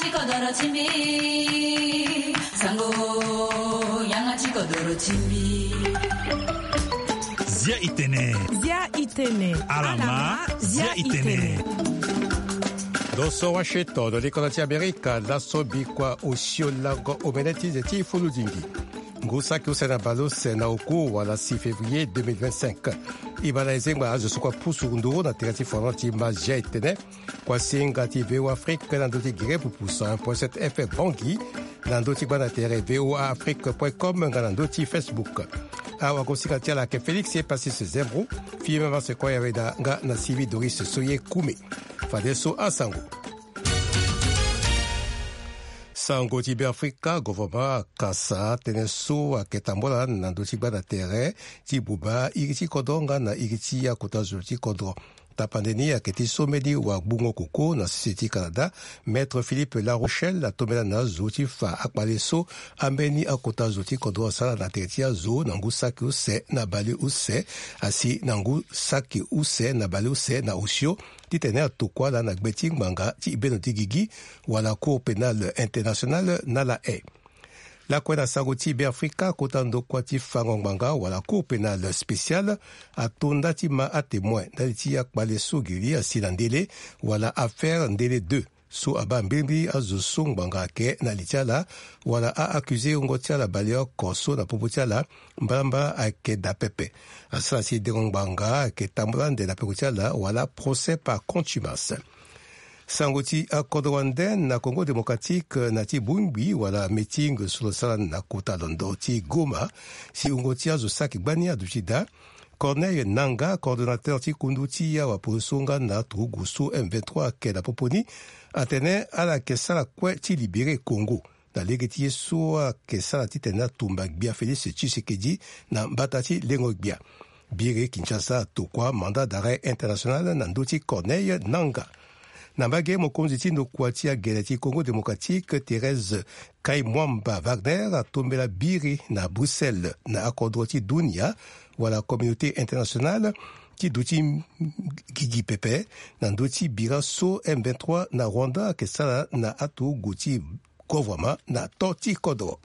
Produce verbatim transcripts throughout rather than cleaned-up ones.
Kodoro ti mbi, sango, yanga ti kodoro ti mbi. Zia itene. Zia itene. Alama, zia itene. Ndo so Washington, lo ni kodro ti Amerika, laso bikua osio lango omene ti ze ti fulu dingi. Ngu saki use na baleuse na oku wala six février deux mille vingt-cinq. E baa na e zengba azo so kue apusu nduru na tere ti fondement ti ma Zia itene. Kuasinga ti V O Afrique na ndö ti gere pupu cent un point sept F M Bangui, na ndö ti gbanda tere V O A Afrique point com nga na ndö ti Facebook. Awagosinga ti ala ayeke Félix Epasis Zembro, fimama Sequoia Weda nga na Sylvie Doris Soye Kume. Fadeso asango. Sango ti Beafrika, gouvernement akasa tënë so ayeke tambula na ndö ti gbanda tere ti buba iri ti kodro nga na iri ti akota zo ti kodro. Tapande ni ayeke ti so mbeni wagbungo koko na sese ti Canada, Maître Philippe Larochelle atombela na azo ti fa akpale so ambeni akota zo ti kodro asara na tere ti azo na ngu saki use na baleuse, asi na ngu saki use na baleuse na osio, titene atokua ala na gbe ti ngbanga ti beno ti gigi wala Cour pénale internationale na La Haye. Lakue na sango ti Beafrika, kota ndokua ti fango ngbanga wala Cour pénale spéciale ato nda ti ma atémoin ndali ti akpale so gili asi na Ndele wala affaire Ndele deux, so abaa mbilimbili azo so ngbanga ayeke na li ti ala wala a-accusé wungo ti ala baleoko so na popo ti ala mbalambala ayeke daa pepe. Asara si dengo ngbanga ayeke tambula ande na peko ti ala wala procès par contumace. Sango ti akodro wande na Congo Démocratique, na ti bongbi wala meeting so lo sara na kota londo ti Goma, si wungo ti azo saki gbani aduti daa, Corneille Nangaa, coordonnateur ti kundu ti awapolo so nga na aturugu so M vingt-trois ayeke na popo ni, atene ala yeke sara kue ti libéré Congo na lege ti ye so ayeke sara titene atumba gbia Félix Tshisekedi na mbata ti lengo gbia. Biri Kinshasa atokua mandat d'arrêt international na ndö ti Corneille Nangaa. Na mbage, mokonzi ti ndokua ti agele ti Congo Démocratique, Thérèse Kaimwamba Wagner, atombela biri na Bruxelles na akodro ti dunia wala communauté internationale ti duti gigi pepe na ndö ti bira so M vingt-trois na Rwanda ayeke sara na aturugu ti gouvernement na to ti kodro.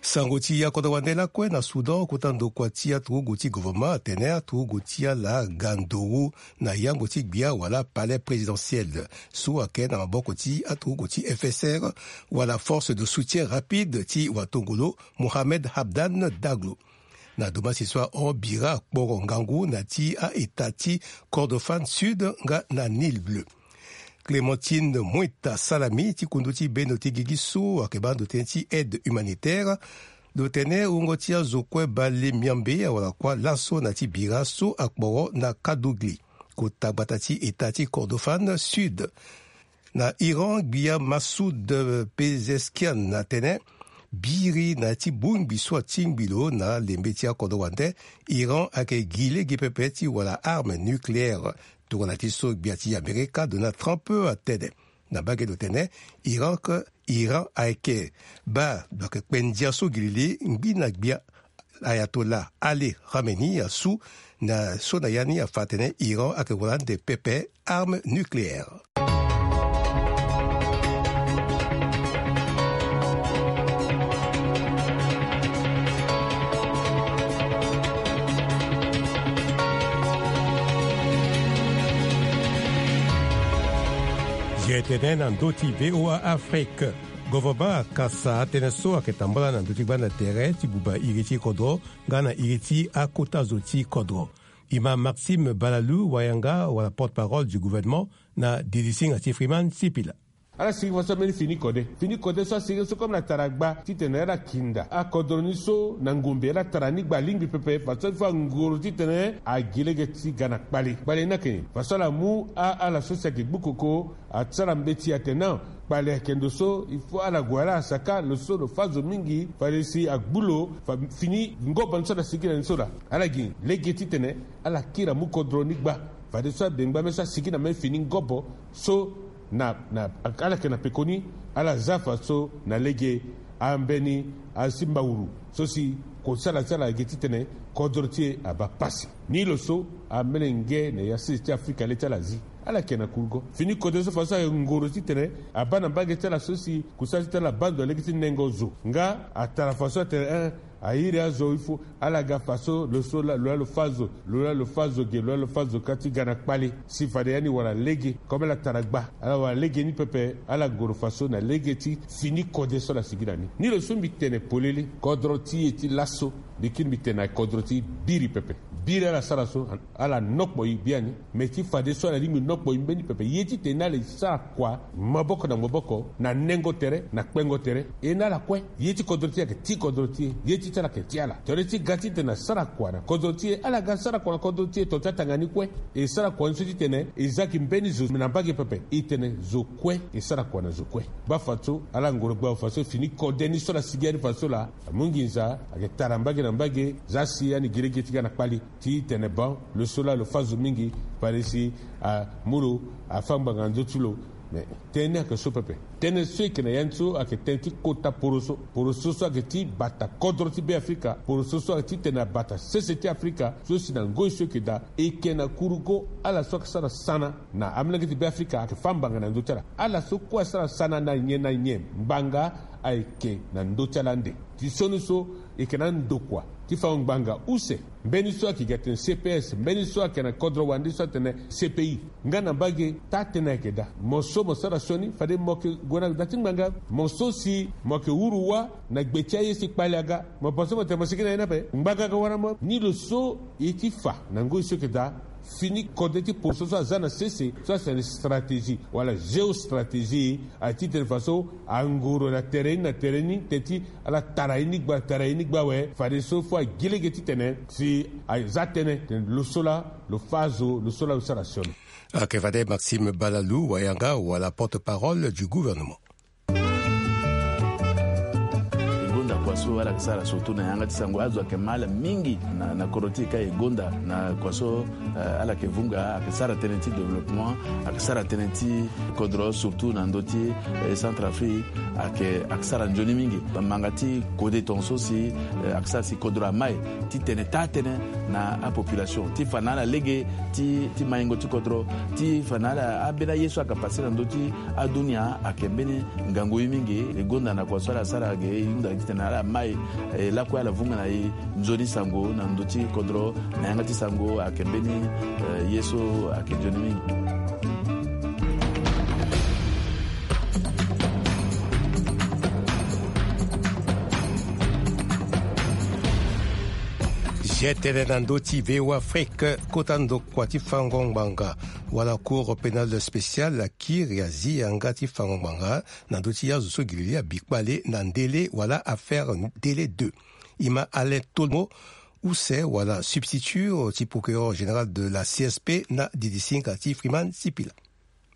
Sango ti akodro wande lakue na Soudan, kota ndokua ti aturugu ti gouvernement atene aturugu ti ala ga nduru na yango ti gbia wala palais présidentiel so ayeke na maboko ti aturugu ti F S R wala Force de soutien rapide ti watongolo Mohamed Hamdan Daglo. Na domasi so ahon bira akporo ngangu na ti a-État ti Kordofan Sud nga na Nil Bleu. Clémentine Moita Salami ti kundu ti bendo ti gigi so ayeke baa ndo tënë ti aide humanitaire, lo tene wungo ti azo kue bale miambe awara kuâ laso na ti bira so akporo na Kadugli, kota gbata ti État ti Kordofan Sud. Na Iran, gbia Massoud Pezeshkian atene biri na ya ti bongbi so atingbi lo na lembe ti akodro wande, Iran ayeke gi lege pepe ti wara arme nucléaire. Tongana ti so gbia ti Amerika Donald Trump atene. Na mbage lo tene Iran ke, Iran ayeke baa lo yeke kpe ndia so gi lili ngbi na gbia Ayatollah Ali Khamenei asu na so na ya ni afa atene Iran ayeke wara ande pepe arme nucléaire. Ye tene na ndö ti V O A Afrique. Gouvernement akasa atënë so ayeke tambula na ndö ti gbanda tere ti buba iri ti kodro nga na iri ti akota zo ti kodro. E ma Maxime Balalou Wayanga wala porte-parole du gouvernement na dirisinga ti Freeman Sipila. Ala sigi faso ambeni fini kode. Fini kode so asigi so comme na tara gba titene ala kinda akodro ni so na ngombe, ala tara ni gba alingbi pepe faso il faut angoro titene agi lege ti ga na kpale. Kpale ni ayeke nyen? Faso ala mu a, ala so si ayeke gbu koko asara mbeti atene kpale ayeke ndo so il faut ala gue ala saka lo so lo fâ zo mingi fade si agbu lo fa fini ngobo ni so ala sigi na ni so laa. Ala gi lege titene ala kiri amu kodro ni gba fadeso abengba me so asigi na me fini ngobo so na, na, ala yeke na pekoni, ala za faso na lege ambeni asi mbawuru so si kosala ti ala gi titene kodro ti e abaa pasi. Ni lo so amelenge na ya sese ti Afrika le ti ala azi. Ala yeke na kurugo. Fini kode so faso ayeke ngoro titene abaa na mbage ti ala so si kusala ti tene ala baa ndo na lege ti nengo zo. Nga atara faso atene, eh, a iri azo il faut ala ga faso lo so la lo ya lo fâ zo, lo ya lo fâ zo ge, lo ya lo fâ zo ka ti ga na kpali. Si fade ya ni wara lege. Comme ala tara gba, ala wara lege ni pepe. Ala ngoro faso na lege ti fini kode so ala sigi na ni. Ni lo so mbi tene polele, kodro ti e ti laso, mbi kiri mbi tene na kodro ti biri pepe. Biri ala sara so, ala nokpo e biani. Me ti fadeso ala lingbi nokpo e mbeni pepe. Ye titene ala e sara kua maboko na maboko, na nengo tere, na kpengo tere. E na ala kue. Ye ti kodro ti e ayeke ti kodro ti e. Ye ti ti ala ayeke ti ala. Tere ti ga titene asara kua na kodro ti e, ala ga sara kua na kodro ti e, to ti atanga ni kue. E sara kua ni so titene e za gi mbeni zo na mbage pepe. E tene zo kue, e sara kua na zo kue. Baa fadeso ala ngoro gba fadeso fini kode ni so ala sigi ya ni fadeso laa. Amu nginza, ayeke tara mbage na mbage, za si ani gi lege ti ga na kpali. Titene bon, lo so laa lo fâ zo mingi, fade si amu lo afâ ngbanga na ndö ti lo. Me tënë ni ayeke so pepe. Tënë so e yeke na ya ni so ayeke tënë ti kota poroso. Poroso so ayeke ti bata kodro ti Beafrika. Poroso so ayeke titene abata sese ti Afrika. So si na ngoi so e yeke daa, e yeke na kurugo ala so ayeke sara sana na amolenge ti Beafrika ayeke fâ ngbanga na ndö ti ala. Ala so kue asara sana na nyen na nyen, ngbanga ayeke na ndö ti ala ande. Ti sioni so e yeke na andokua ti fango ngbanga use. Mbeni so ayeke gi atene C P S, mbeni so ayeke na kodro wande so atene C P I. Nga na mbage taa-tënë ayeke daa. Mo so mo sara sioni, fade mo yeke gue na da ti ngbanga. Mo so si mo yeke huru wâ na gbe ti aye si kpali aga, mo pense mo tene mo sigi na ye ni ape? Ngbanga aga wara mo. Ni lo so e ti fa na ngoi so e yeke daa. Fini kode ti poroso so aza na sese so atene stratégie wala géostratégie. Aye titene faso angoro na tere ni na tere ni, teti ala tara ye ni gba, tara ye ni gba awe. Fadeso fo agi lege titene si aza tënë tene lo so laa lo fâ zo, lo so laa lo sara sioni. Ayeke fade Maxime Balalou Wayanga wala porte-parole du gouvernement. E gonda kua so ala yeke sara surtout na yanga ti sango. Azo ayeke ma ala mingi na, na kodro ti e ka e gonda na kua so, eh, ala yeke vunga, ayeke sara tënë ti développement, ayeke sara tënë ti kodro surtout na ndö ti, eh, Centrafrique. Ayeke, ayeke sara nzoni mingi. Manga ti kode tongaso si, eh, ayeke sara si kodro amai titene taa-tënë na apopulation ti fa na ala lege ti, ti maingo ti kodro, ti fa na ala ambeni aye so ayeke pase na ndö ti adunia. Ayeke mbeni ngangu ye mingi. E gonda na kua so ala sara ge, e hunda titene ala mai, eh, lakue ala vunga na e nzoni sango na ndö ti kodro. Na yanga ti sango ayeke mbeni, eh, ye so ayeke nzoni mingi. Ge tënë na ndö ti V O A Afrique, kota ndokua ti fango ngbanga wala Cour pénale spéciale akiri azi yanga ti fango ngbanga na ndö ti azo so gi lili abi kpale na ndele wala affaire ndele deux. E ma Alain Tolmo use wala substitut ti procureur général de la C S P na didisinga ti Freeman Sipila.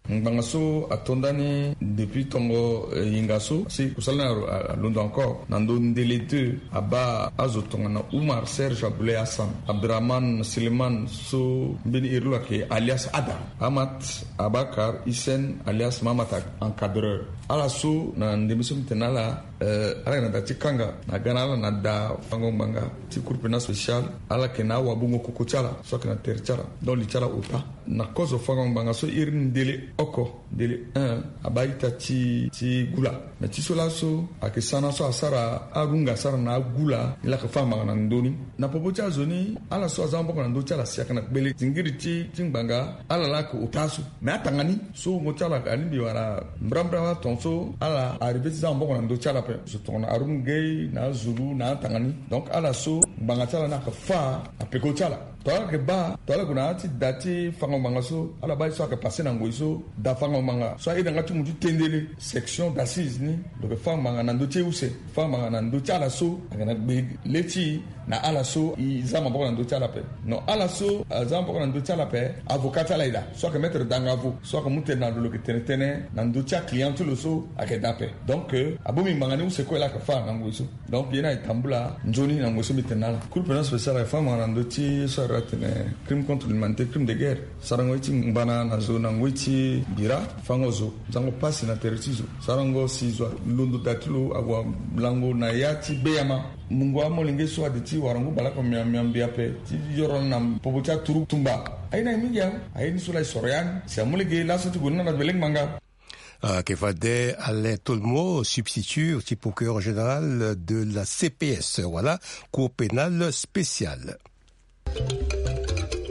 Ngbanga so ato ndani depuis tongo, eh, hinga so si kusala ni alo-, a-, alondo encore na ndö ndele deux, abaa azo tongana Oumar Serge Aboulaye Hassan, Abdrahman Suleiman so mbeni iri lo ayeke alias Ada, Amat Abakar Hissène alias Mamat Encadreur. Ala so na ndembe so mbi tene na ala, eh, ala yeke na da ti kanga na ga na ala na da fango ngbanga ti Cour pénale spéciale. Ala yeke na awabungo koko ti ala so ayeke na tere ti ala. Donc li ti ala ota na kozo fango ngbanga so iri ni ndele oko, ndele un, abaa ita ti, ti gula. Mais ti so laso ayeke sana so asara arunga asara na agula ni la ayeke fâ ngbanga na ndö ni. Na popo ti azo ni, ala so aza maboko na ndö ti ala si ayeke na gbele zingiri ti, ti ngbanga, ala la ayeke ota aso. Mais atanga ni so wungo ti ala alingbi wara mbrambra tongaso ala arrivé ti za maboko na ndö ti ala ape. Zo tongana Haroun Gueye na azulu na atanga ni. Donc ala so ngbanga ti ala ni ayeke fâ na peko ti ala. Tongana ala yeke baa, tongana ala gue na ya ti da ti fango ngbanga so, ala baa ye so ayeke passé na ngoi so, da fango ngbanga so airi na yanga ti mu ti tendele, section d'assises ni, lo yeke fâ ngbanga na ndö ti e use, fâ ngbanga na ndö ti ala so ayeke na gbe le ti e, na ala so e za maboko na ndö ti ala ape. Non, ala so aza maboko na ndö ti ala ape, avocat ti ala e daa so ayeke maître Dangavo so ayeke mu tene na lo, lo yeke tene tënë na ndö ti aclient ti lo so ayeke daa ape. Donc, euh, abongbi ngbanga ni use kue la ayeke fâ na ngoi so. Donc ye ni ayeke tambula nzoni na ngoi so mbi tene na ala. Cour pénale spéciale ayeke fâ ngbanga na ndö ti so ayeke atene crime contre l'humanité, crime de guerre. Sarango ye ti ngbana na zo na ngoi ti bira, fango zo, zango pasi na tere ti zo. Sarango si zo alondo da ti lo ague lango na ya ti beyama. Mungo amolenge so ade ti wara ngu bale oko mian mian mbi ape ti yoro na popo ti aturugu tumba. Aye na ye mingi awe. Aye ni so la e soro ya ni si amu lege laso ti gue ni na na ti belengbanga. Ayeke fade Alain Tolmo, substitut ti procureur général de la C P S, voilà, Cour pénale spéciale.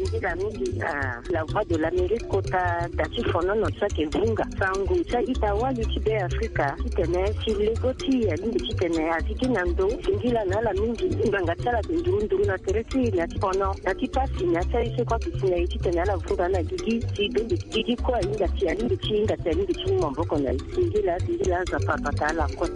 Nzila mingi na La Voix de l'Amérique kota da ti fonono ti ayeke vunga sango ti a-ita wali ti Be Afrika titene si lego ti e alingbi titene azi gi na ndo singila na ala mingi. Ngbanga ti ala ayeke nduru nduru na tere ti e na ti fono na ti pasi na ya ti aye so kue ayeke si na e titene ala vunga na gigi si bende gigi kue ahinga si alingbi ti hinga si alingbi ti mu maboko na e. Singila singila Nzapa abata ala kue.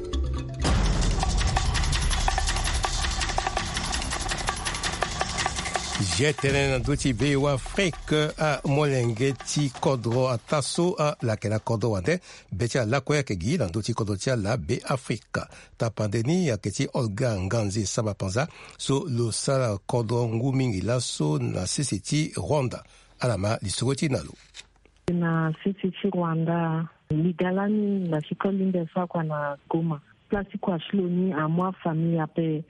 Zia tënë na ndö ti V O A Afrique, amolenge ti kodro ataa so ala yeke na kodro wande be ti ala lakue ayeke gi na ndö ti kodro ti ala Be Afrika. Tapande ni ayeke ti Olga Nganzi Samba Panza so lo sara kodro ngu mingi laso na sese ti Rwanda. Ala ma lisoro ti e na lo. Na sese ti Rwanda, liga lani na sikoli mbi asara kua na Goma. Place ti kua ti lo ni amu afamille ape.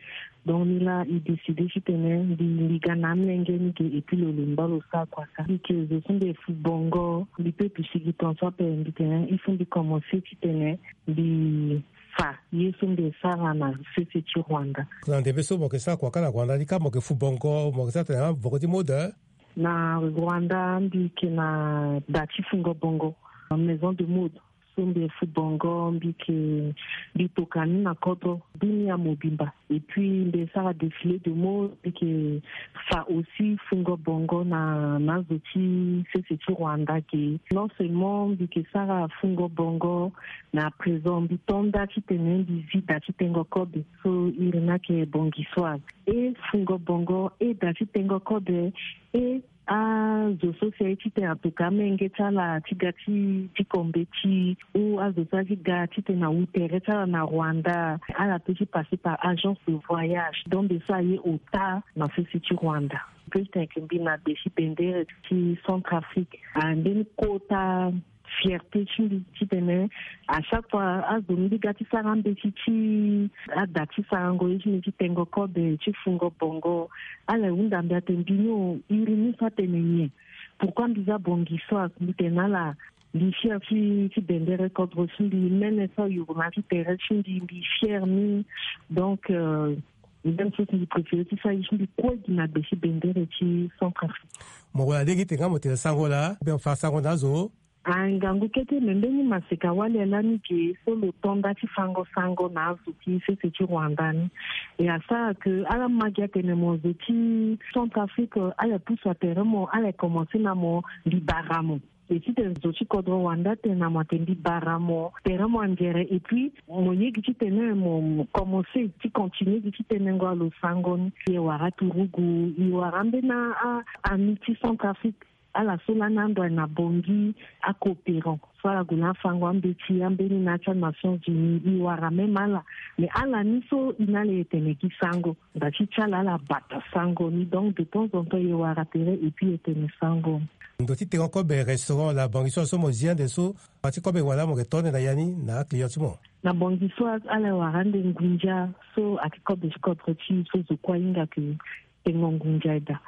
Donc ni laa e décide titene mbi, mbi ga na amolenge ni ge et puis lo lemba lo sara kua ka. Mbi yeke zo so mbi fu bongo, mbi peut pi sigi tongaso ape mbi tene il faut mbi commencer titene mbi fa ye so mbi sara na sese ti Rwanda. Na ndembe so mo yeke sara kua ka na Rwanda ni ka mo yeke fu bongo, mo yeke sara tene avoko ti mode? Na Rwanda mbi yeke na da ti fungo bongo, maison de mode. So mbi fu bongo mbi yeke, mbi toka ni na kodro dunia mobimba. Et puis mbi sara défilé de mode, mbi yeke fa aussi fungo bongo na, na azo ti sese ti Rwanda ge. Non seulement mbi yeke sara fungo bongo, mais à présent mbi to nda titene mbi zi da ti tengo kobe. So iri ni ayeke bongisoise. E fungo bongo, e da ti tengo kobe, e azo so si aye titene atoka amenge ti ala ti ga ti, ti kombe ti, ou azo so aye ti ga titene awu tere ti ala na Rwanda, ala peut ti passer par agence de voyage. Donc mbi so aye ota na sese ti Rwanda. Mbi peut titene mbi na be ti bendere ti Centrafrique. Ah, mbeni kota fierté ti mbi titene à chaque fois azo mbi ga ti sara ambeti ti ada ti sarango ye ti mbi ti tengo kobe ti fungo bongo, ala hunda mbi atene mbi ni o, iri ni so atene nyen? Pourquoi mbi za bongisoise? Mbi tene na ala mbi fier ti, ti bendere kodro ti mbi, mene so ayuru na ya ti tere ti mbi, mbi fier ni. Donc euh, même chose mbi préféré ti sara ye ti mbi kue gi na be ti bendere ti Centrafrique. Mo wara lege ti tene nga mo tene sango laa, be mo fa sango na azo. Ah, ngangu kete, me mbeni maseka wali lani ge so lo to nda ti fango sango na azo ti sese ti Rwanda ni. E asara ke ala ma gi atene mo zo ti Centrafrique, ala pusu atere mo, ala commencer na mo, mbi bara mo. E titene zo ti kodro Rwanda atene na mo atene mbi bara mo, tere mo anzere, et puis mo ye gi titene mo, mo commencer ti continuer gi ti tenengo alo sango ni. E wara turugu, e wara ambeni a, a, ami ti Centrafrique. Ala so lani ando aye na Bangui, acoopérant so ala gue na afango ambeti ambeni na ya ti aNations Unies, e wara même ala. Mais ala ni so e na ala e tene gi sango, nda ti ti ala ala bata sango ni. Donc de temps en temps e wara tere et puis e tene sango. Ndo ti tengo kobe restaurant la Bangui so, so mo zi ande so, a ti kobe wala mo yeke to ande na ya ni na aclient ti mo? Na Bangui so ala e wara ande ngunza so a ti kobe ti kodro ti e so zo kue ahinga ke tengo ngunza daa.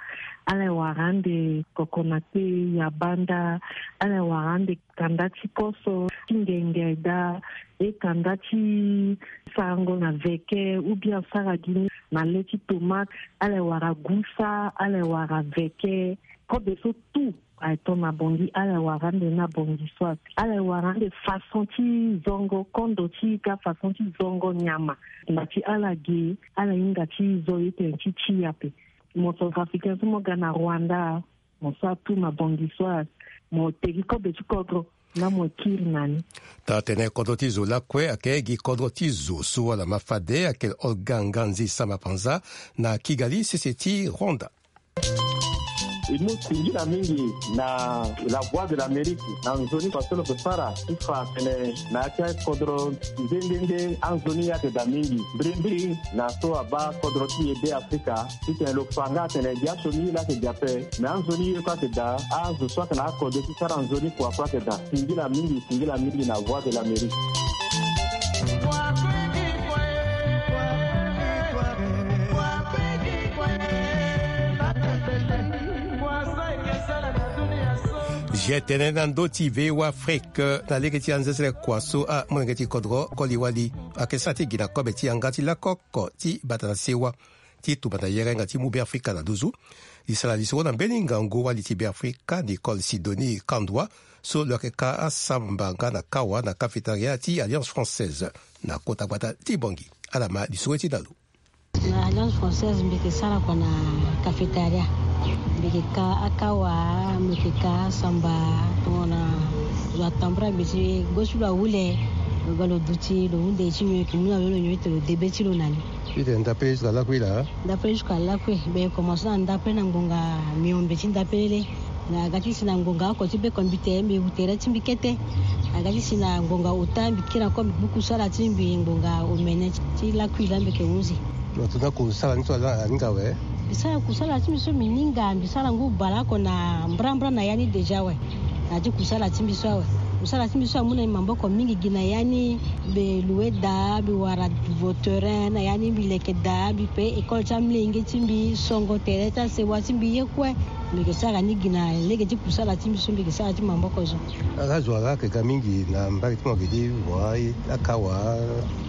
Ala e wara ande kokonate, yabanda, ala e wara ande kanda ti koso ti ngenge daa, e kanda ti sarango na veke, ou bien sara gi ni na le ti tomate, ala e wara gusa, ala e wara veke. Kobe so tout aye to na Bangui, ala e wara ande na Bangui soit. Ala e wara ande façon ti zongo kondo ti e ka, façon ti zongo nyama. Nda ti ala ge, ala hinga ti zo ye tene ti ti ape. Mo Centrafricain so mo ga na Rwanda, mo sara tout na Bangui soit, mo te gi kobe ti kodro, na mo kiri na ni. Taa tene kodro ti zo lakue ayeke gi kodro ti zo so ala ma fade ayeke Olga Nganzi Samba Panza na Kigali, sese ti Rwanda. E mu singila mingi na La Voix de l'Amérique na nzoni fa so lo yeke sara ti fa tene na ya ti akodro nde nde nde anzoni ayeke daa mingi. Mbirimbiri na so abaa kodro ti e Be Afrika titene lo fa nga atene gi asioni ye laa ayeke gi ape. Me anzoni ye kue ayeke daa, azo so ayeke na akode ti sara nzoni kua kue ayeke daa. Singila mingi, singila mingi na Voix de l'Amérique. Zia tënë na ndö ti V O A Afrique na lege ti anzezele kua so amolenge ti kodro koli wali ayeke sara ti gi na kobe ti yanga ti lakoko ti bata na sewa ti tumba na yere nga ti mu Beafrika na nduzu. Li sara lisoro na mbeni ngangu wali ti Beafrika Nicole Sidonie Kandwa so lo yeke ka asamba nga na kawa na cafétéria ti Alliance Française na kota gbata ti Bangui. Ala ma lisoro ti na lo. Na Alliance Française mbi yeke sara kua na cafétéria. Mbi yeke ka akawa, mbi yeke ka samba. Tongana zo atambula mbi ti gbo ti lo ahule, lo ga lo duti lo hunde ti nyon, e yeke mu na lo lo nyon ti tene lo debe ti lo na ni. Ti tene ndape jusqu'à lakui laa? Ndape jusqu'à lakui. Mbi yeke komanse na ndape na ngbonga miombe ti ndape lele. Na ga ti si na ngbonga oko ti be computer mbi wu tere ti mbi kete. Na ga ti si na ngbonga ota mbi kiri na kue mbi gbu kusala ti mbi ngbonga omene ti lakui laa mbi yeke hunzi. Lo tunda kusala ni so ala aninga awe? Mbi sara kusala ti mbi so mbi ninga, mbi sara ngu baleoko na mbrambra na ya ni déjà awe. Na ya ti kusala ti mbi so awe. Kusala ti mbi so amu na mbi maboko mingi gi na ya ni. Mbi loue daa, mbi wara vautorin na ya ni, mbi leke daa, mbi pe école ti amolenge ti mbi, songo tere ti asewa ti mbi ye kue. Mbi yeke sara ni gi na lege ti kusala ti mbi so mbi yeke sara ti maboko so. Ala zo ala yeke ga mingi na mbage ti mo ayeke ti wa akawa,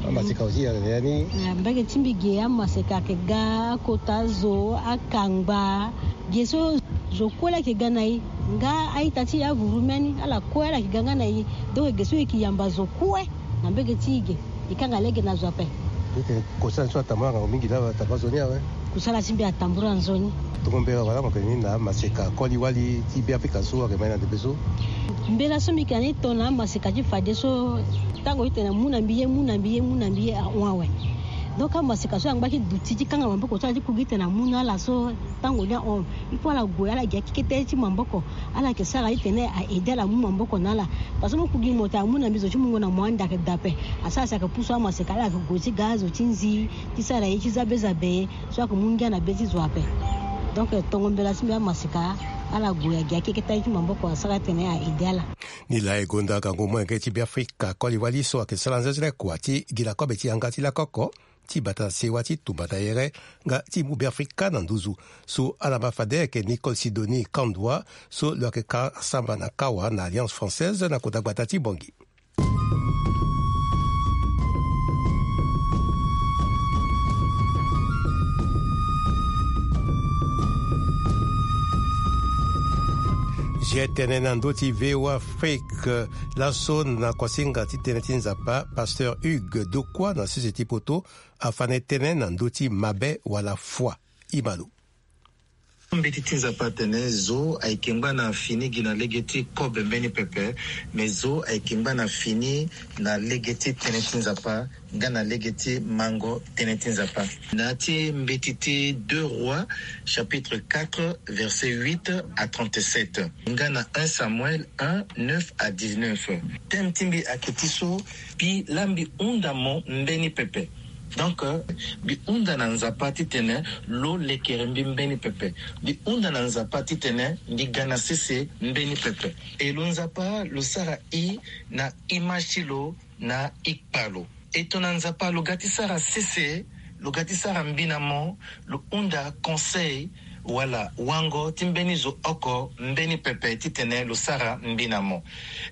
amaseka aussi ayeke na ya ni. Na mbage ti mbi ge amaseka ayeke ga, akota zo, akangba. Ge so zo kue la yeke ga na e. Nga a-ita ti e avuru mê ni, ala kue ala yeke ga nga na e. Donc ge so e yeke yamba zo kue na mbage ti e ge. E kanga lege na zo ape. Eke, kusala so atambula ngangu mingi laa atambula zo ni awe. Kusala ti mbi atambula nzoni. Tongo mbela wala mo yeke ni na amaseka koli wali ti Beafrika so ayeke ma e na ndembe so? Mbela so mbi yeke na ni tongana amaseka ti fadeso, tango ti tene amu na mbi ye, mu na mbi ye, mu na mbi ye ahon awe. Donc amaseka so angba ti duti ti kanga maboko so ala ti ku gi ti tene amu na ala so, tango ni ahon, il faut ala gue ala gi akekete ti maboko. Ala yeke sara ti tene a aider ala mu maboko na ala. Parce que mo ku gi mo tene amu na mbi, zo ti mungo na mo ande ayeke daa ape. Asara si ayeke pusu amaseka, ala yeke gue ti ga azo ti nzi ti sara ye ti zabe zabe so ayeke mu ngia na be ti zo ape. Donc tongo mbela ti mbi amaseka, ala gue agi akeketa ye ti maboko asara ti tene a aider ala. Nilaa e gonda gango molenge ti Beafrika koli wali so ayeke sara nzenzele kua ti gi na kobe ti yanga ti lakoko ti bata na sewa ti tumba na yere nga ti mu Beafrika na nduzu. So ala ma fade ayeke Nicole Sidonie Kandwa so lo yeke ka samba na kawa na Alliance Française na kota gbata ti Bangui. Zia tënë na ndö ti V O A Afrique. Laso na kuasinga ti tënë ti Nzapa, Pasteur Hugues Dokua na sese ti poto afa na e tënë na ndö ti mabe wala foi. Ima lo. Mbeti ti Nzapa atene zo ayeke ngba na fini gi na lege ti kobe mbeni pepe, me zo ayeke ngba na fini na lege ti tënë ti Nzapa nga na lege ti mango tënë ti Nzapa. Na ya ti mbeti ti Deux Rois chapitre quatre verset huit à trente-sept, nga na un Samuel un neuf à dix-neuf. Thème ti mbi ayeke ti so: Mbi laa mbi hunda mo mbeni pepe. Donc, euh, mbi hunda na Nzapa titene lo lekere mbi mbeni pepe. Mbi hunda na Nzapa titene mbi ga na sese mbeni pepe. E lo Nzapa lo sara i na image ti lo na ikpa lo. E tongana Nzapa lo ga ti sara sese, lo ga ti sara mbi na mo, lo hunda conseil wala wango ti mbeni zo oko mbeni pepe titene lo sara mbi na mo.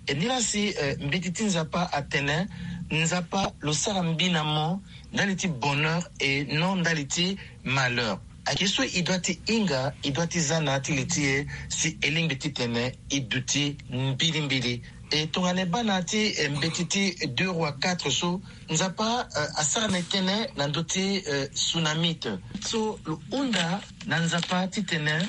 E nilaa si, eh, mbeti ti Nzapa atene, Nzapa lo sara mbi na mo ndali ti bonheur et non ndali ti malheur. Ayeke so e doit ti hinga, e doit ti za na ya ti li ti e si e lingbi titene e duti mbilimbili. E tongana e baa na ya ti, eh, mbeti ti Deux Rois quatre so, Nzapa, eh, asara na e tënë na ndö ti, eh, Sunamite. So lo hunda na Nzapa titene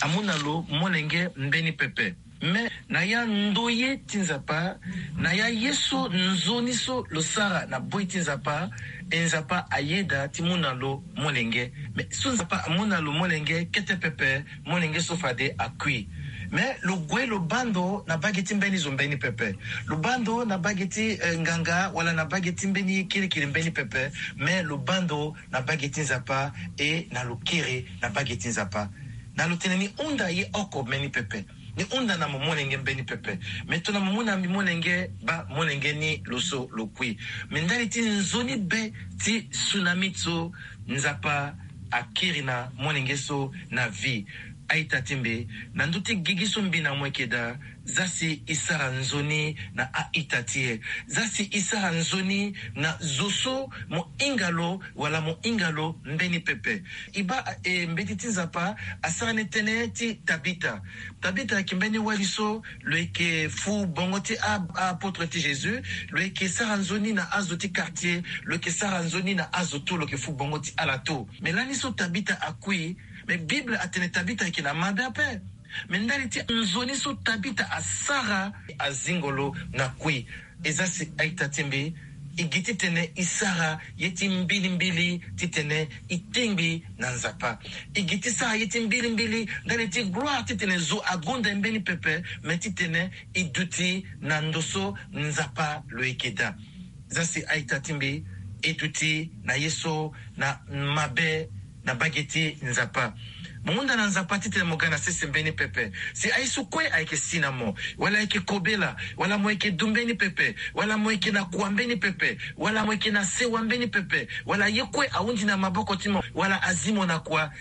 amu na lo molenge mbeni pepe. Me na ya ndoye ti Nzapa, na ya ye so nzoni so lo sara na boi ti Nzapa, e Nzapa ayeda ti mu na lo molenge. Me so Nzapa amu na lo molenge kete pepe, molenge so fade akui. Me lo gue lo baa ndo na bage ti mbeni zo mbeni pepe. Lo baa ndo na bage ti, eh, nganga wala na bage ti mbeni kirikiri mbeni pepe. Me lo baa ndo na bage ti Nzapa e na lo kiri na bage ti Nzapa. Na lo tene ni hunda ye oko mbeni pepe. Ni hunda na mo molenge mbeni pepe. Me tongana mo mu na mbi molenge, baa molenge ni lo so lo kui. Me ndali ti nzoni be ti Sunamite so, Nzapa akiri na molenge so na vie. A-ita ti mbi, na ndö ti gigi so mbi na mo yeke daa, za si e sara nzoni na a-ita ti e. Za si e sara nzoni na zo so mo hinga lo wala mo hinga lo mbeni pepe. E baa, e, mbeti ti Nzapa asara ni tënë ti Tabita. Tabita ayeke mbeni wali so lo yeke fu bongo ti a, a-apôtre ti Jésus. Lo yeke sara nzoni na azo ti quartier, lo yeke sara nzoni na azo tout, lo yeke fu bongo ti ala tout. Me lani so Tabita akui, me Bible atene Tabita ayeke na mabe ape. Me ndali ti nzoni so Tabita asara, azingo lo na kui. E za si a-ita ti mbi, e gi titene e sara ye ti mbilimbili titene e tingbi na Nzapa. E gi ti sara ye ti mbilimbili ndali ti gloire titene zo agonda e mbeni pepe, me titene e duti na ndo so Nzapa lo yeke daa. Za si a-ita ti mbi, e duti na ye so na mabe na mbage ti Nzapa. Mo hunda na Nzapa titene mo ga na sese mbeni pepe. Si aye so kue ayeke si na mo, wala ayeke kobela, wala mo yeke du mbeni pepe, wala mo yeke na kua mbeni pepe, wala mo yeke na sewa mbeni pepe, wala ye kue ahundi na maboko ti mo, wala azi mo na kua,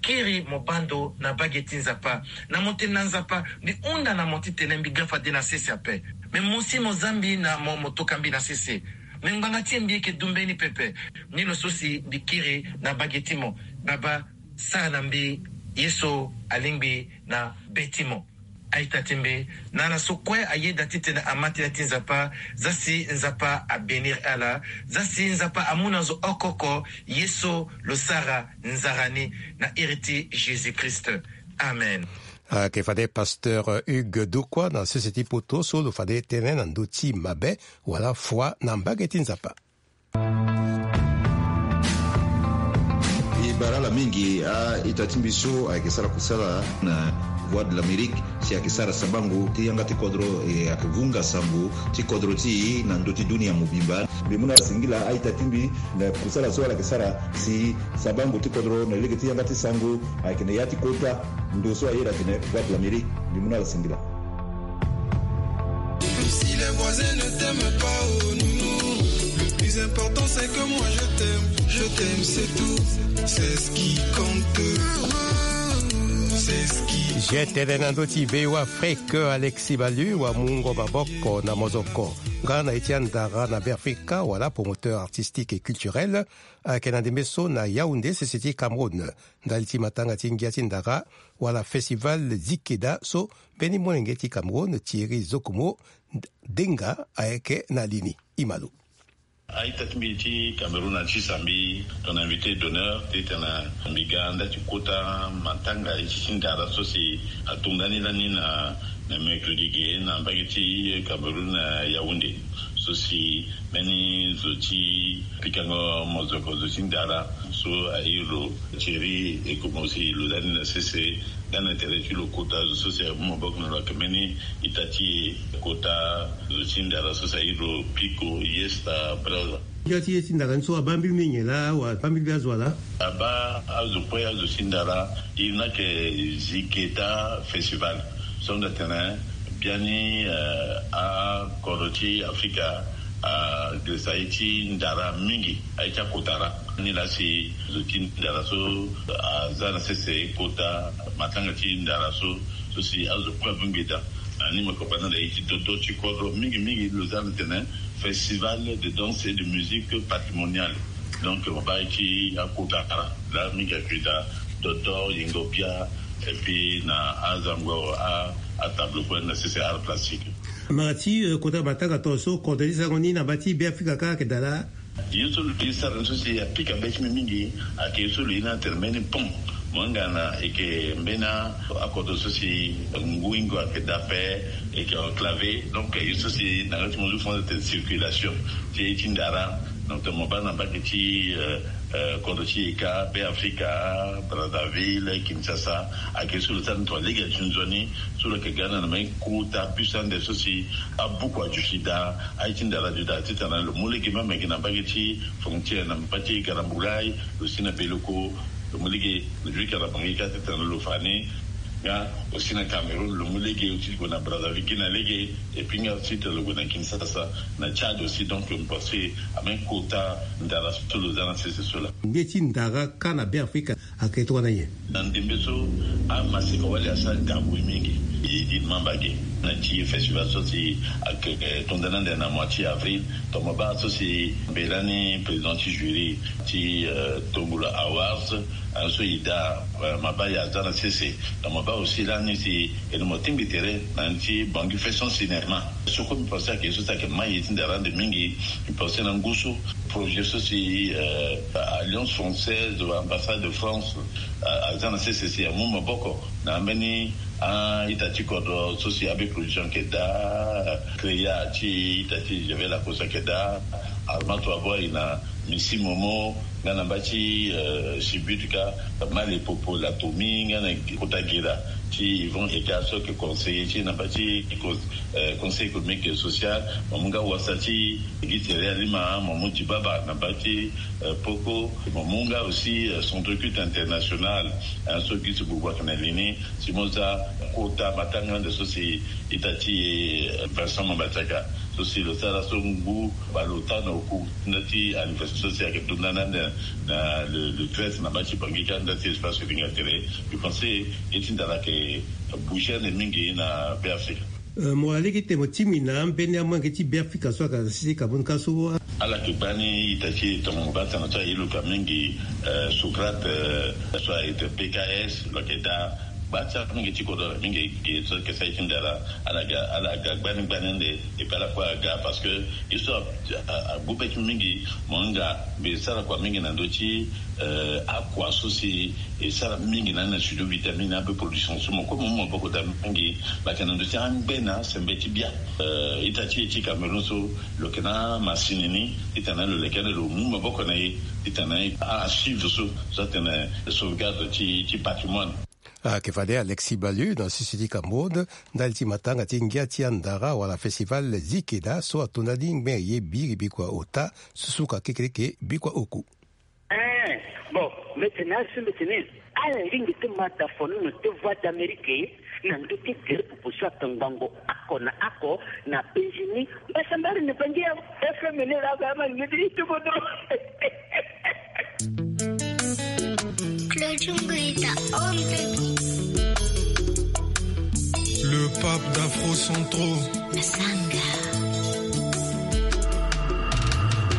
kiri mo baa ndo na mbage ti Nzapa. Na mo tene na Nzapa, mbi hunda na mo titene mbi ga fade na sese ape. Me mo si mo za mbi na mo, mo toka mbi na sese. Me ngbanga ti e mbi yeke du mbeni pepe. Ni lo so si mbi kiri na mbage ti mo. Baba, sara na mbi ye so alingbi na be ti mo. A-ita ti mbi, na ala so kue ayeda titene ama tënë ti Nzapa, za si Nzapa abénir ala, za si Nzapa amu na zo oko oko ye so lo sara nzara ni, na iri ti Jésus-Christ. Amen. Ayeke fade pasteur Hugues Dokua na sese ti poto so lo fade tënë na ndö ti mabe wala foi na mbage ti Nzapa. E bara ala mingi a-ita ti mbi so ayeke sara kusala na Voix de l'Amérique, si ayeke sara sabango ti yanga ti kodro, e ayeke vunga sango ti kodro ti e na ndö ti dunia mobimba. Mbi mu na ala singila a-ita ti mbi na kusala so ala yeke sara si sabango ti kodro na lege ti yanga ti sango ayeke na ya ti kota ndo so ayeda atene Voix de l'Amérique. Mbi mu na ala singila. Si les voisins ne t'aiment pas, oh nounou, le plus important c'est que moi je t'aime, je t'aime, c'est tout, c'est ce qui compte, c'est ce qui. Je tene na ndö ti Beo Afrique, Alexis Balu amungo maboko na mozoko nga na ye ti andara na Beafrika wala promoteur artistique et culturel, ayeke na ndembe so na Yaoundé, sese ti Cameroun, ndali ti matanga ti ngia ti ndara wala festival Zikeda so mbeni molenge ti Cameroun, Thierry Zokomo Denga, ayeke na li ni. E ma lo. A-ita ti mbi ti Cameroun ati sa mbi tongana invité d'honneur titene mbi ga nda ti kota matanga ye ti ndara so si atonga ni lani na, na mercredi ge na mbage ti Cameroun na Yaoundé. So si mbeni zo ti pikango mozoko, zo ti ndara so airi lo Thierry Zokomo si lo za ni na sese, nga na tere ti lo kota zo so si amu maboko na lo ayeke mbeni ita ti e, kota zo ti ndara so si airi lo Pico, Yesta, Brazza. Ngia ti ye ti ndara ni so abaa mbili mingi laa, wala abaa mbili azo laa? Abaa azo kue, azo ti ndara. Iri ni ayeke Ziketa Festival. So nda tene biani, eh, akodro ti Afrika, ah, agresa ye ti ndara mingi, aye ti akota ra. Ni laa si zo ti ndara so aza na sese kota matanga ti ndara so, so si azo kue abongbi daa. Na ni mo yeke baa na nda ye ti dodo ti kodro mingi mingi lo za na tene Festival de danse et de musique patrimoniale. Donc mo baa ye ti akota ra laa mingi ayeke daa, dodo, yengo bia, et puis na azango a, atable kue na sese art plastique. Mara ti, eh, kota matanga tongaso, kodro ti sango ni na mba ti Beafrika kâ ayeke daa laa? Ye so lo ye sara ni so si apika be ti mbi mingi ayeke ye so lo ye ni atene mbeni pont. Mo hinga na e yeke mbeni akodro so si ngu hingo ayeke daa ape, e yeke enclavé. Donc ye so si na yanga ti mo zo fo atene circulation ti ye ti ndara. Donc mo baa na mbage ti, euh, euh, kodro ti e kâ, Beafrika, Brazzaville, Kinshasa, ayeke ye so lo sara ni tongana lege ti nzoni, so lo yeke ga na mbeni kota bus ande so si abuku aduti daa, aye ti ndara aduti daa titene lo mu lege même ayeke na mbage ti frontière na mbage ti Garambulay, lo si na Beleko, lo mu lege na Djuika na Bangui kâ titene lo fa ni. Nga aussi na Cameroun lo mu lege, aussi lo gue na Brazzaville gi na lege. Et puis nga aussi tene lo gue na Kinshasa, na Tchad aussi. Donc mbi pense ame kota ndara so lo za na sese so laa. Nde ti ndara kâ na Beafrika ayeke tongana nyen? Na ndembe so amaseka wali asara gabui mingi. E di mamba ge na ti festival so si ayeke tongana nde na mois ti avril. Tongana baa so si mbela ni président ti jury ti Tongola Awards, so e daa, mabaa e aza na sese. Tongana baa aussi lani si e na mo tingbi tere na ni ti Bangui fait son cinéma. So kue mbi pense ayeke ye so si ayeke mai ye ti ndara ande mingi. Mbi pense na ngu so projet so si Alliance Française, ambassade de France aza na sese si amu maboko na ambeni a-ita ti kodro so si A B Production ayeke daa, Créa ti ita ti Javel Lacoste ayeke daa, Armato Aboy na Missy Momo, nga na mba ti Sibutka, Male Popo Latomi, nga na kota Gera ti Yvon Eka so ayeke conseiller ti na mba ti Conseil économique et social. Mo mu nga wasa ti Guy Thierry Alima, mo mu Dibaba na mba ti Poko. Mo mu nga aussi Centre Culte International, so Guy Tibouboua ayeke na li ni. Si mo za kota matanga ande so si ita ti Vincent Mambatiaka so si lo sara so ngu baleota na oku nda ti anniversaire so si ayeke tongana ande na le treize na mba ti Bangui kâ nda ti espace Linga Tere. Mbi pense ye ti ndara ayeke bouger ande mingi na Beafrika. Mo wara lege ti tene mo tingbi na ambeni amolenge ti Beafrika so ayeke na sese Cameroun kâ so. Ala yeke gbani ita ti e tongo baa tena so aye lo ka mingi, Socrate so ayeke P K S lo yeke daa. Gba ti amingi ti kodro ala mingi ge so ayeke sara ye ti ndara. Ala ga ala ga gbani gbani ande. Et puis ala kue aga parce que ye so agbu be ti mingi. Mo hinga mbi sara kua mingi na ndö ti akua so si e sara mingi na ni na studio vitamine abe production so mo kue mo mu maboko daa mingi. Lo yeke na ndö ti angbe na sembe ti bia. Ita ti e ti Cameroun so lo yeke na masini ni titene lo leke ande lo mu maboko na e titene a suivre so so atene sauvegarde ti ti patrimoine. Ayeke fade Alexis Balu na sese ti Cameroun ndali ti matanga ti ngia ti andara wala festival Zikeda so ato ndali ngben ye biri bikua ota susuka kekereke bikua oku. Ee, bon, mbi tene asu mbi tene ala lingbi ti ma da fo ni na ti Voix d'Amérique na ndö ti gere pupu so atongbango ako na ako na penzi ni. Mbasambari ni bangi ya F M ni la ba ma ni ti kodro. Claudio Nguita, on the beat. Le pape d'Afro Centro. Masanga.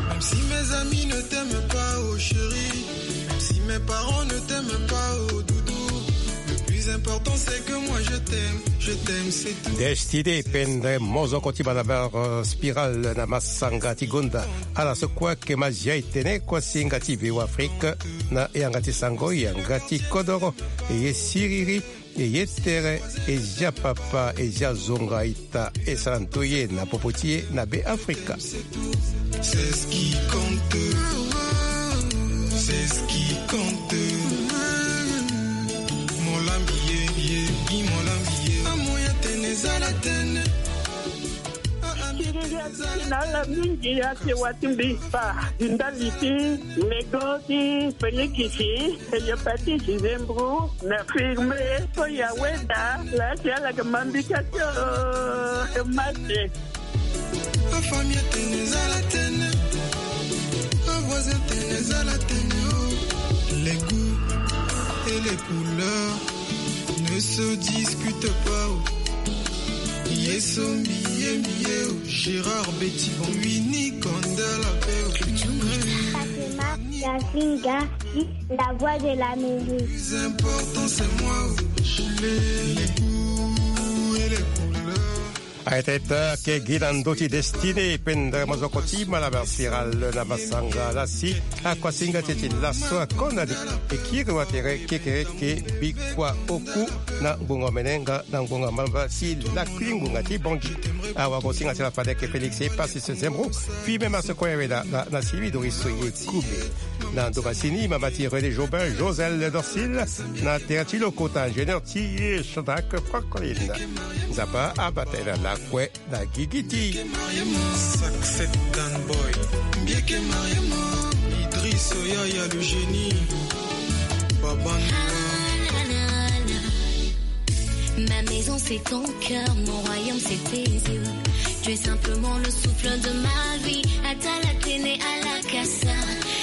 Même si mes amis ne t'aiment pas, oh chérie, même si mes parents ne t'aiment pas, oh doudou, le plus important c'est que moi je t'aime, je t'aime, c'est tout. Destiny Pendre, mozoko ti Malabar, euh, Spiral na masanga ti gonda. Ala so kue ayeke ma zia e tene kuasinga ti V O Afrique na yanga ti sango, yanga ti kodoro, e ye siriri, e ye tere, e zia papa, e zia zonga ita, e sara nto ye na popo ti e na Be Afrika. C'est ce qui compte. C'est ce qui compte. Molambi ye, ye, i molambi ye. Amoya tene zala tene. Siriri ati na ala mingi ati watimbi pa ndali ti lego ti Félix, e ye pa ti Gisembro na firme so ya weda la ti ala ke mambi ka ti o mate. Afamille tene zala tene, avoisin tene zala tene, oh. Les goûts et les couleurs ne se discutent pas, oh. Yeso mbiye mbiye, oh. Gérard Betty Bon, Winnie Kanda la paix, oh. Fatima Yasinga, la voix de l'Amérique. Le plus important c'est moi, oh. Les goûts et les couleurs. Aye tene ake gi na ndö ti Destiné Pendre, mozoko ti Malabar Spiral na masanga lasi. Akuasinga ti e ti laso akondani e kiri watere kekereke bikua oku na ngbonga omene nga na ngbonga mbamba ti lakui ngbonga ti Bangui. Awagosinga ti la fade ayeke Félix Epasis Zembro. Fimem aso kue awe na na silibi dori so ye kumi. Na ndo masini mama ti René Jobin, Josel Dorsil, na tere ti lokota ingénieur ti ye Shadrack Francolin. Nzapa abata e na lakue na gigi ti. Saxet Dan Boy, Mbieke Mariama, Idriss Oyaya le génie, Baban. Ma maison c'est ton cœur, mon royaume c'est tes yeux. Tu es simplement le souffle de ma vie. Ata la tene, ala kasa,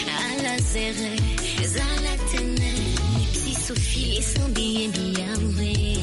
ala zere, zala tene. Mipsi Sophie et son billet biawe.